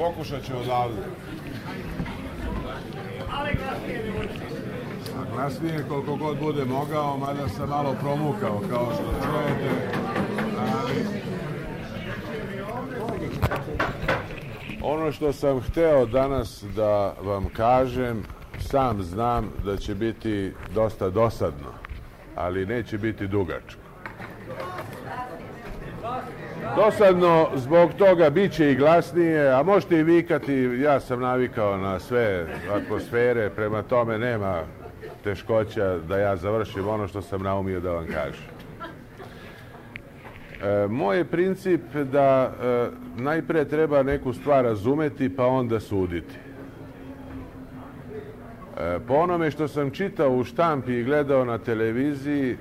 Pokušat ću odavde. A glasnije koliko god bude mogao, mada sam malo promukao, kao što čujete. Ali ono što sam hteo danas da vam kažem, sam znam da će biti dosta dosadno, ali neće biti dugačko. Dosadno zbog toga bit će i glasnije, a možete i vikati, ja sam navikao na sve atmosfere, prema tome nema teškoća da ja završim ono što sam naumio da vam kažem. Moj je princip da najpre treba neku stvar razumeti pa onda suditi. Po onome što sam čitao u štampi i gledao na televiziji,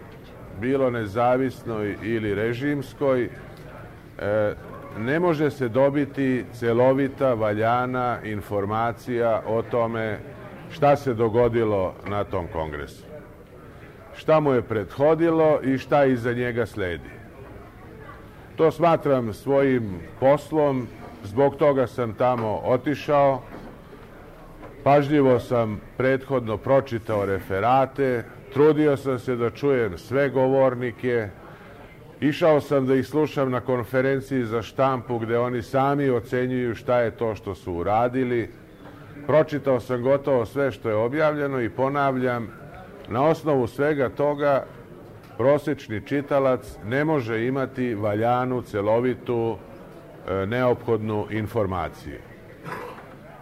bilo nezavisnoj ili režimskoj, ne može se dobiti celovita, valjana informacija o tome šta se dogodilo na tom kongresu. Šta mu je prethodilo i šta iza njega sledi. To smatram svojim poslom, zbog toga sam tamo otišao. Pažljivo sam prethodno pročitao referate, trudio sam se da čujem sve govornike, išao sam da ih slušam na konferenciji za štampu gde oni sami ocenjuju šta je to što su uradili. Pročitao sam gotovo sve što je objavljeno i ponavljam, na osnovu svega toga prosečni čitalac ne može imati valjanu, celovitu, neophodnu informaciju.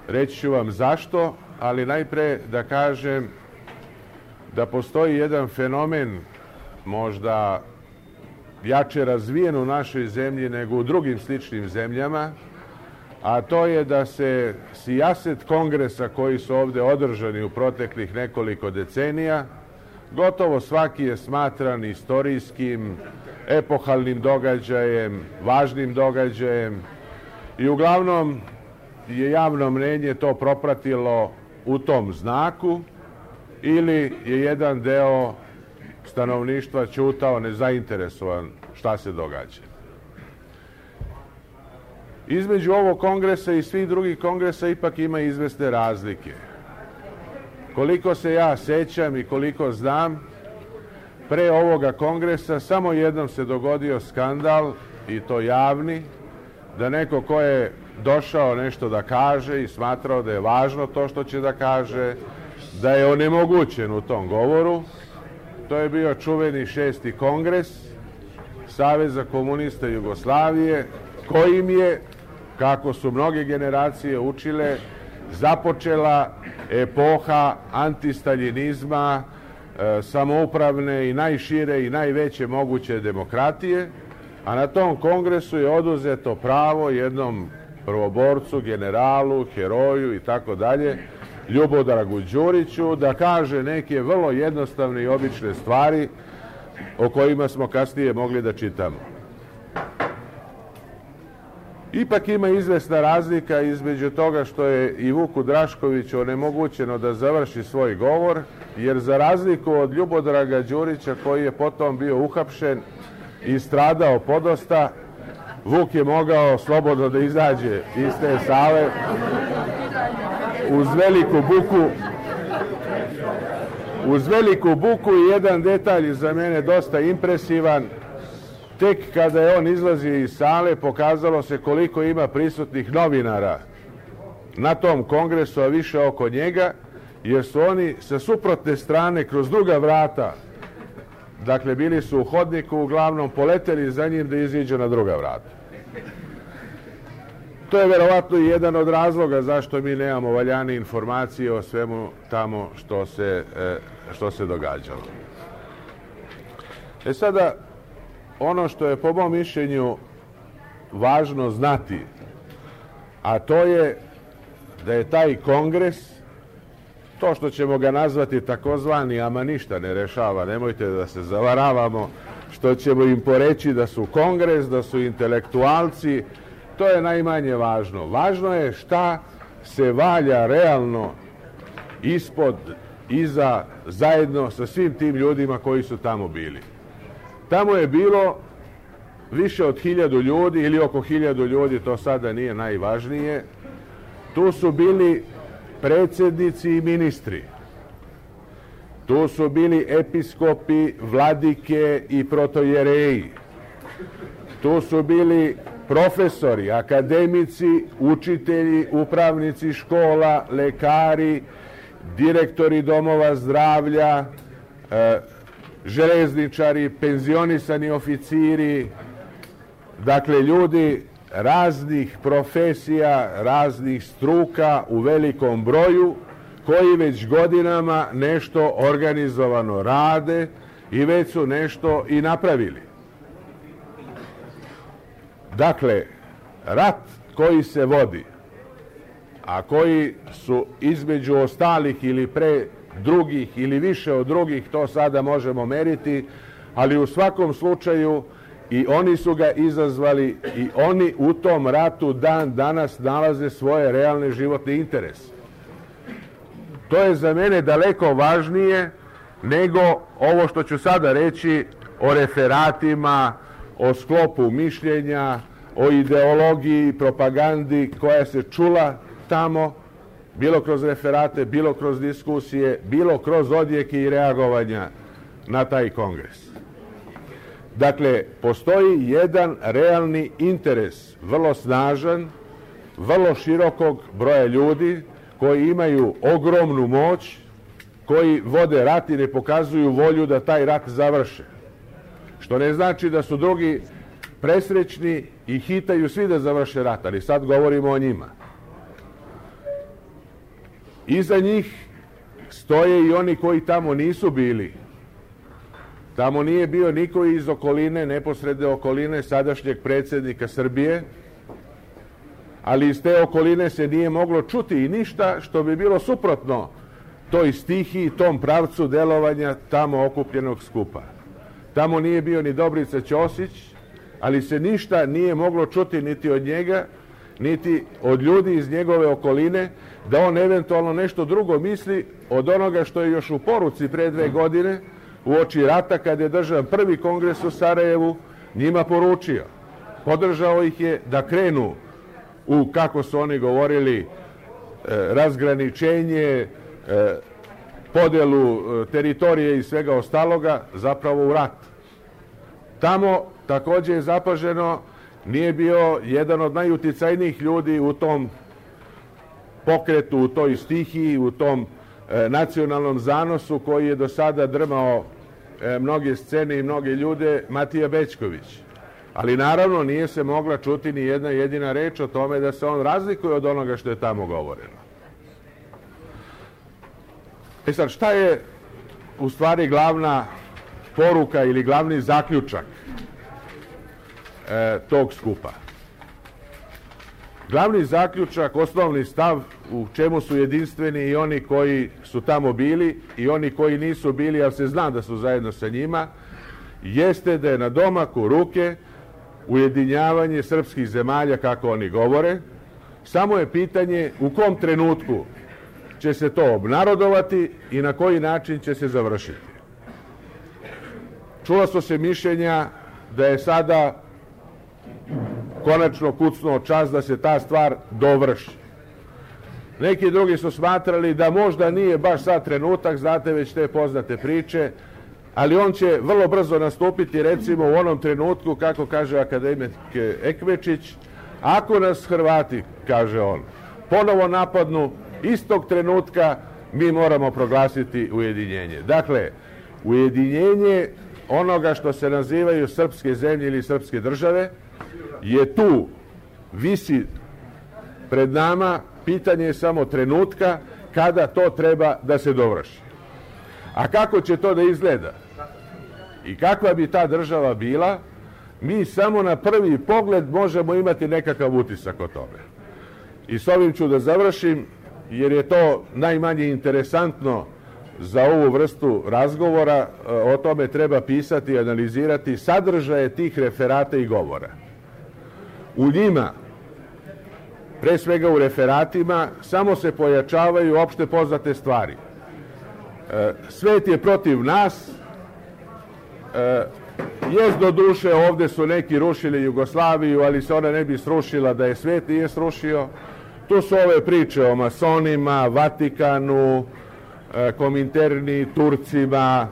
Reći ću vam zašto, ali najpre da kažem da postoji jedan fenomen možda jače razvijen u našoj zemlji nego u drugim sličnim zemljama, a to je da se sijaset kongresa koji su ovde održani u proteklih nekoliko decenija, gotovo svaki je smatran istorijskim, epohalnim događajem, važnim događajem i uglavnom je javno mnenje to propratilo u tom znaku ili je jedan deo stanovništva ćutao nezainteresovan šta se događa. Između ovog kongresa i svih drugih kongresa ipak ima izvesne razlike. Koliko se ja sećam i koliko znam, pre ovoga kongresa samo jednom se dogodio skandal, i to javni, da neko ko je došao nešto da kaže i smatrao da je važno to što će da kaže, da je onemogućen u tom govoru. To je bio čuveni 6. kongres Saveza komunista Jugoslavije, kojim je, kako su mnoge generacije učile, započela epoha antistaljinizma, samoupravne i najšire i najveće moguće demokratije, a na tom kongresu je oduzeto pravo jednom prvoborcu, generalu, heroju i tako dalje, Ljubodragu Đuriću, da kaže neke vrlo jednostavne i obične stvari o kojima smo kasnije mogli da čitamo. Ipak ima izvesna razlika između toga što je i Vuku Draškoviću onemogućeno da završi svoj govor, jer za razliku od Ljubodraga Đurića, koji je potom bio uhapšen i stradao podosta, Vuk je mogao slobodno da izađe iz te sale uz veliku buku i jedan detalj za mene dosta impresivan. Tek kada je on izlazio iz sale, pokazalo se koliko ima prisutnih novinara na tom kongresu, a više oko njega, jer su oni sa suprotne strane kroz druga vrata, dakle bili su u hodniku, uglavnom poleteli za njim da iziđu na druga vrata. To je verovatno i jedan od razloga zašto mi nemamo valjane informacije o svemu tamo što se događalo. Sada, ono što je po mom mišljenju važno znati, a to je da je taj kongres, to što ćemo ga nazvati takozvani, ama ništa ne rešava, nemojte da se zavaravamo, što ćemo im poreći da su kongres, da su intelektualci, to je najmanje važno. Važno je šta se valja realno ispod, iza, zajedno sa svim tim ljudima koji su tamo bili. Tamo je bilo više od 1000 ljudi ili oko 1000 ljudi, to sada nije najvažnije, Tu su bili predsjednici i ministri. Tu su bili episkopi, vladike i protojereji. Tu su bili profesori, akademici, učitelji, upravnici škola, lekari, direktori domova zdravlja, železničari, penzionisani oficiri, dakle ljudi raznih profesija, raznih struka u velikom broju, koji već godinama nešto organizovano rade i već su nešto i napravili. Dakle, rat koji se vodi, a koji su između ostalih ili pre drugih ili više od drugih, to sada možemo meriti, ali u svakom slučaju i oni su ga izazvali i oni u tom ratu dan danas nalaze svoje realne životne interese. To je za mene daleko važnije nego ovo što ću sada reći o referatima, o sklopu mišljenja, o ideologiji, propagandi koja se čula tamo, bilo kroz referate, bilo kroz diskusije, bilo kroz odjeke i reagovanja na taj kongres. Dakle, postoji jedan realni interes, vrlo snažan, vrlo širokog broja ljudi koji imaju ogromnu moć, koji vode rat i ne pokazuju volju da taj rat završe. Što ne znači da su drugi presrećni i hitaju svi da završe rat, ali sad govorimo o njima. Iza njih stoje i oni koji tamo nisu bili. Tamo nije bio niko iz okoline, neposredne okoline sadašnjeg predsjednika Srbije, ali iz te okoline se nije moglo čuti i ništa što bi bilo suprotno toj stihiji, tom pravcu delovanja tamo okupljenog skupa. Tamo nije bio ni Dobrica Ćosić, ali se ništa nije moglo čuti niti od njega, niti od ljudi iz njegove okoline, da on eventualno nešto drugo misli od onoga što je još u poruci pre 2 godine, uoči rata, kad je držan prvi kongres u Sarajevu, njima poručio. Podržao ih je da krenu u, kako su oni govorili, razgraničenje, podelu teritorije i svega ostaloga, zapravo u rat. Tamo također je zapaženo, nije bio jedan od najuticajnijih ljudi u tom pokretu, u toj stihiji, u tom nacionalnom zanosu koji je do sada drmao mnoge scene i mnoge ljude, Matija Bećković. Ali naravno nije se mogla čuti ni jedna jedina reč o tome da se on razlikuje od onoga što je tamo govoreno. Sad, šta je u stvari glavna poruka ili glavni zaključak tog skupa? Glavni zaključak, osnovni stav u čemu su jedinstveni i oni koji su tamo bili i oni koji nisu bili, ali se zna da su zajedno sa njima, jeste da je na domaku ruke ujedinjavanje srpskih zemalja, kako oni govore. Samo je pitanje u kom trenutku će se to obnarodovati i na koji način će se završiti. Čula su se mišljenja da je sada konačno kucnuo čas da se ta stvar dovrši. Neki drugi su smatrali da možda nije baš sad trenutak, znate već te poznate priče, ali on će vrlo brzo nastupiti, recimo u onom trenutku, kako kaže akademik Ekmečić, ako nas Hrvati, kaže on, ponovo napadnu, istog trenutka mi moramo proglasiti ujedinjenje. Dakle, ujedinjenje onoga što se nazivaju srpske zemlje ili srpske države je tu, visi pred nama, pitanje je samo trenutka kada to treba da se dovrši. A kako će to da izgleda i kakva bi ta država bila, mi samo na prvi pogled možemo imati nekakav utisak o tome. I s ovim ću da završim, jer je to najmanje interesantno za ovu vrstu razgovora. O tome treba pisati i analizirati sadržaje tih referata i govora. U njima, pre svega u referatima, samo se pojačavaju opšte poznate stvari. Svet je protiv nas, jest do duše, ovdje su neki rušili Jugoslaviju, ali se ona ne bi srušila da je svet nije srušio. Tu su ove priče o masonima, Vatikanu, Kominterni, Turcima,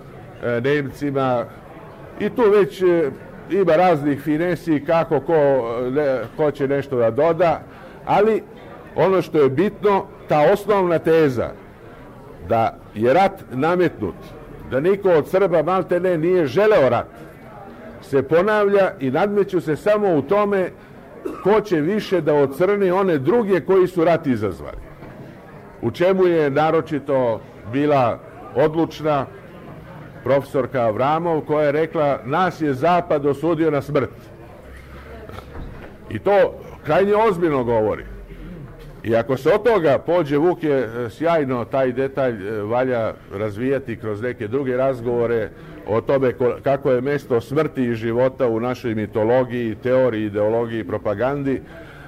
Nemcima i tu već ima raznih finesi kako ko će nešto da doda, ali ono što je bitno, ta osnovna teza da je rat nametnut, da niko od Srba maltene nije želeo rat, se ponavlja i nadmeću se samo u tome ko će više da ocrni one druge koji su rat izazvali. U čemu je naročito bila odlučna profesorka Avramov, koja je rekla nas je Zapad osudio na smrt. I to krajnje ozbiljno govori. I ako se od toga pođe, Vuk je sjajno taj detalj valja razvijati kroz neke druge razgovore o tome kako je mesto smrti i života u našoj mitologiji, teoriji, ideologiji, propagandi,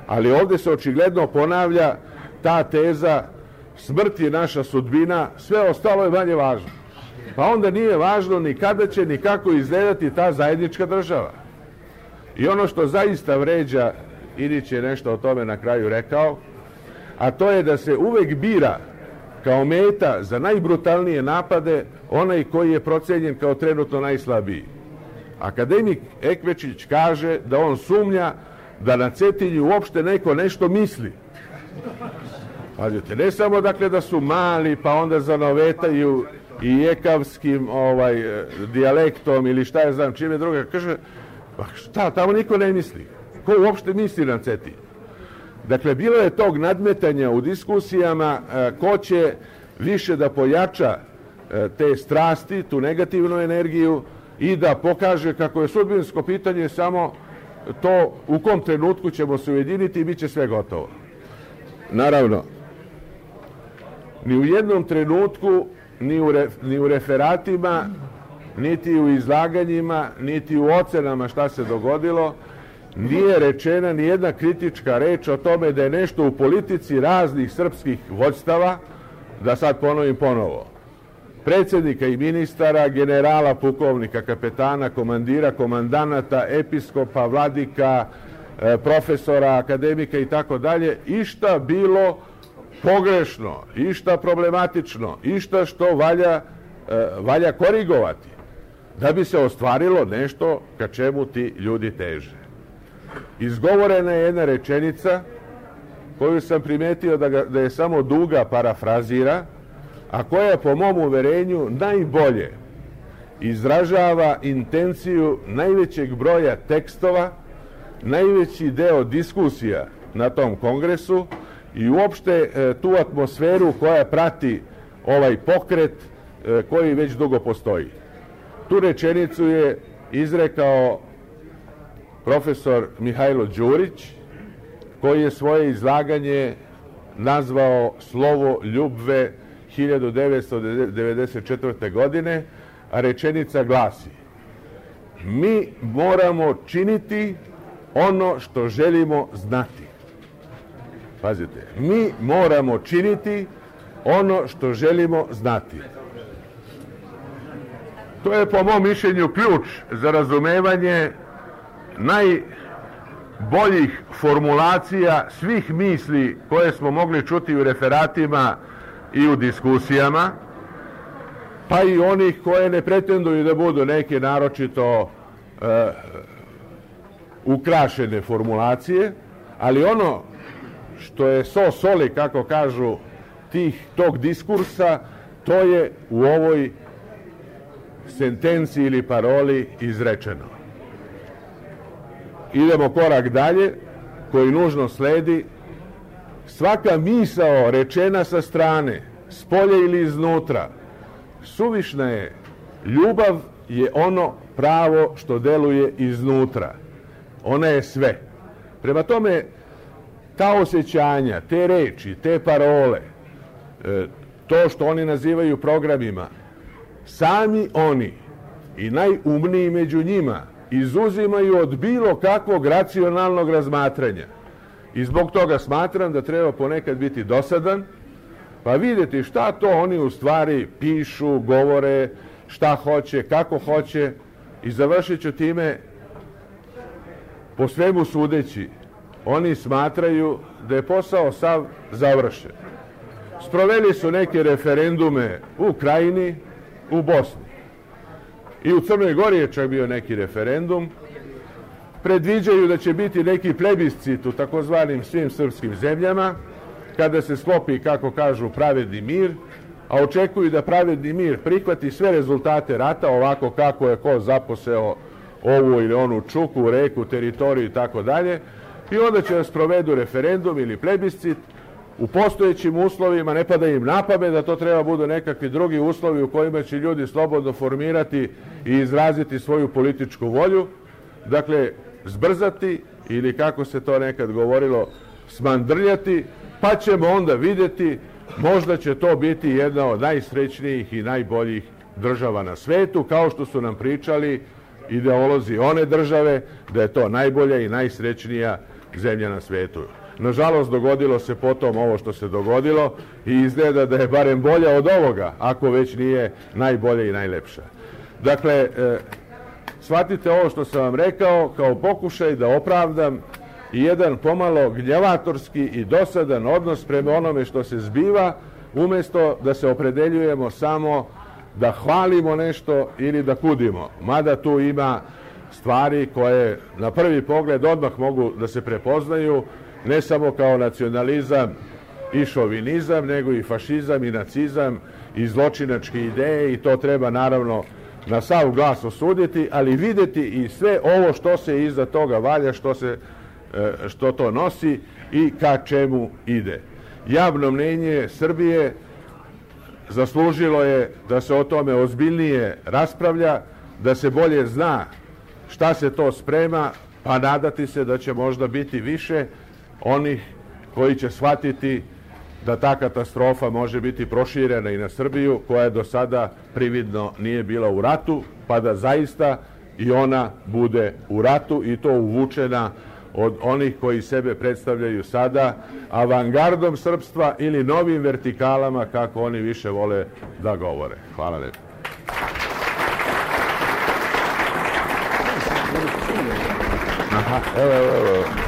ali ovdje se očigledno ponavlja ta teza smrt je naša sudbina, sve ostalo je manje važno. Pa onda nije važno ni kada će, ni kako izgledati ta zajednička država. I ono što zaista vređa, Ilić je nešto o tome na kraju rekao, a to je da se uvek bira kao meta za najbrutalnije napade onaj koji je procenjen kao trenutno najslabiji. Akademik Ekvečić kaže da on sumnja da na Cetinju uopšte neko nešto misli. Pazite, ne samo dakle da su mali pa onda zanovetaju i jekavskim dijalektom ili šta je znam čime druga, kaže pa šta, tamo niko ne misli. Ko uopšte misli na Cetinju? Dakle, bilo je tog nadmetanja u diskusijama ko će više da pojača te strasti, tu negativnu energiju i da pokaže kako je sudbinsko pitanje samo to u kom trenutku ćemo se ujediniti i bit će sve gotovo. Naravno, ni u jednom trenutku, ni u referatima, niti u izlaganjima, niti u ocenama šta se dogodilo, nije rečena ni jedna kritička reč o tome da je nešto u politici raznih srpskih vođstava, da sad ponovim ponovo, predsjednika i ministara, generala, pukovnika, kapetana, komandira, komandanata, episkopa, vladika, profesora, akademika i tako dalje, išta bilo pogrešno, išta problematično, išta što valja korigovati, da bi se ostvarilo nešto ka čemu ti ljudi teže. Izgovorena je jedna rečenica koju sam primetio da je samo Duga parafrazira, a koja po mom uverenju najbolje izražava intenciju najvećeg broja tekstova, najveći deo diskusija na tom kongresu i uopšte tu atmosferu koja prati ovaj pokret koji već dugo postoji. Tu rečenicu je izrekao profesor Mihajlo Đurić, koji je svoje izlaganje nazvao Slovo ljubve 1994. godine, a rečenica glasi: mi moramo činiti ono što želimo znati. Pazite, mi moramo činiti ono što želimo znati. To je po mom mišljenju ključ za razumevanje najboljih formulacija svih misli koje smo mogli čuti u referatima i u diskusijama, pa i onih koje ne pretenduju da budu neke naročito ukrašene formulacije, ali ono što je soli, kako kažu, tog diskursa, to je u ovoj sentenciji ili paroli izrečeno. Idemo korak dalje, koji nužno sledi. Svaka misao rečena sa strane, spolja ili iznutra, suvišna je. Ljubav je ono pravo što deluje iznutra. Ona je sve. Prema tome, ta osjećanja, te reči, te parole, to što oni nazivaju programima, sami oni i najumniji među njima izuzimaju od bilo kakvog racionalnog razmatranja. I zbog toga smatram da treba ponekad biti dosadan, pa vidjeti šta to oni u stvari pišu, govore, šta hoće, kako hoće, i završit ću time, po svemu sudeći, oni smatraju da je posao sav završen. Sproveli su neke referendume u Krajini, u Bosni. I u Crnoj Gori je čak bio neki referendum. Predviđaju da će biti neki plebiscit u takozvanim svim srpskim zemljama, kada se sklopi, kako kažu, pravedni mir, a očekuju da pravedni mir prihvati sve rezultate rata, ovako kako je ko zaposeo ovu ili onu čuku, reku, teritoriju i tako dalje, i onda će da sprovedu referendum ili plebiscit u postojećim uslovima, ne pada im na pamet da to treba budu nekakvi drugi uslovi u kojima će ljudi slobodno formirati i izraziti svoju političku volju, dakle, zbrzati ili, kako se to nekad govorilo, smandrljati, pa ćemo onda vidjeti, možda će to biti jedna od najsrećnijih i najboljih država na svetu, kao što su nam pričali ideolozi one države, da je to najbolja i najsrećnija zemlja na svetu. Nažalost, dogodilo se potom ovo što se dogodilo i izgleda da je barem bolja od ovoga, ako već nije najbolja i najlepša. Dakle, shvatite ovo što sam vam rekao kao pokušaj da opravdam i jedan pomalo gnjavatorski i dosadan odnos prema onome što se zbiva, umjesto da se opredeljujemo samo da hvalimo nešto ili da kudimo. Mada tu ima stvari koje na prvi pogled odmah mogu da se prepoznaju, ne samo kao nacionalizam i šovinizam, nego i fašizam i nacizam i zločinačke ideje, i to treba naravno na sav glas osuditi, ali vidjeti i sve ovo što se iza toga valja, što to nosi i ka čemu ide. Javno mnjenje Srbije zaslužilo je da se o tome ozbiljnije raspravlja, da se bolje zna šta se to sprema, pa nadati se da će možda biti više onih koji će shvatiti da ta katastrofa može biti proširena i na Srbiju, koja do sada prividno nije bila u ratu, pa da zaista i ona bude u ratu, i to uvučena od onih koji sebe predstavljaju sada avangardom srpstva ili novim vertikalama, kako oni više vole da govore. Hvala lijepo. Evo.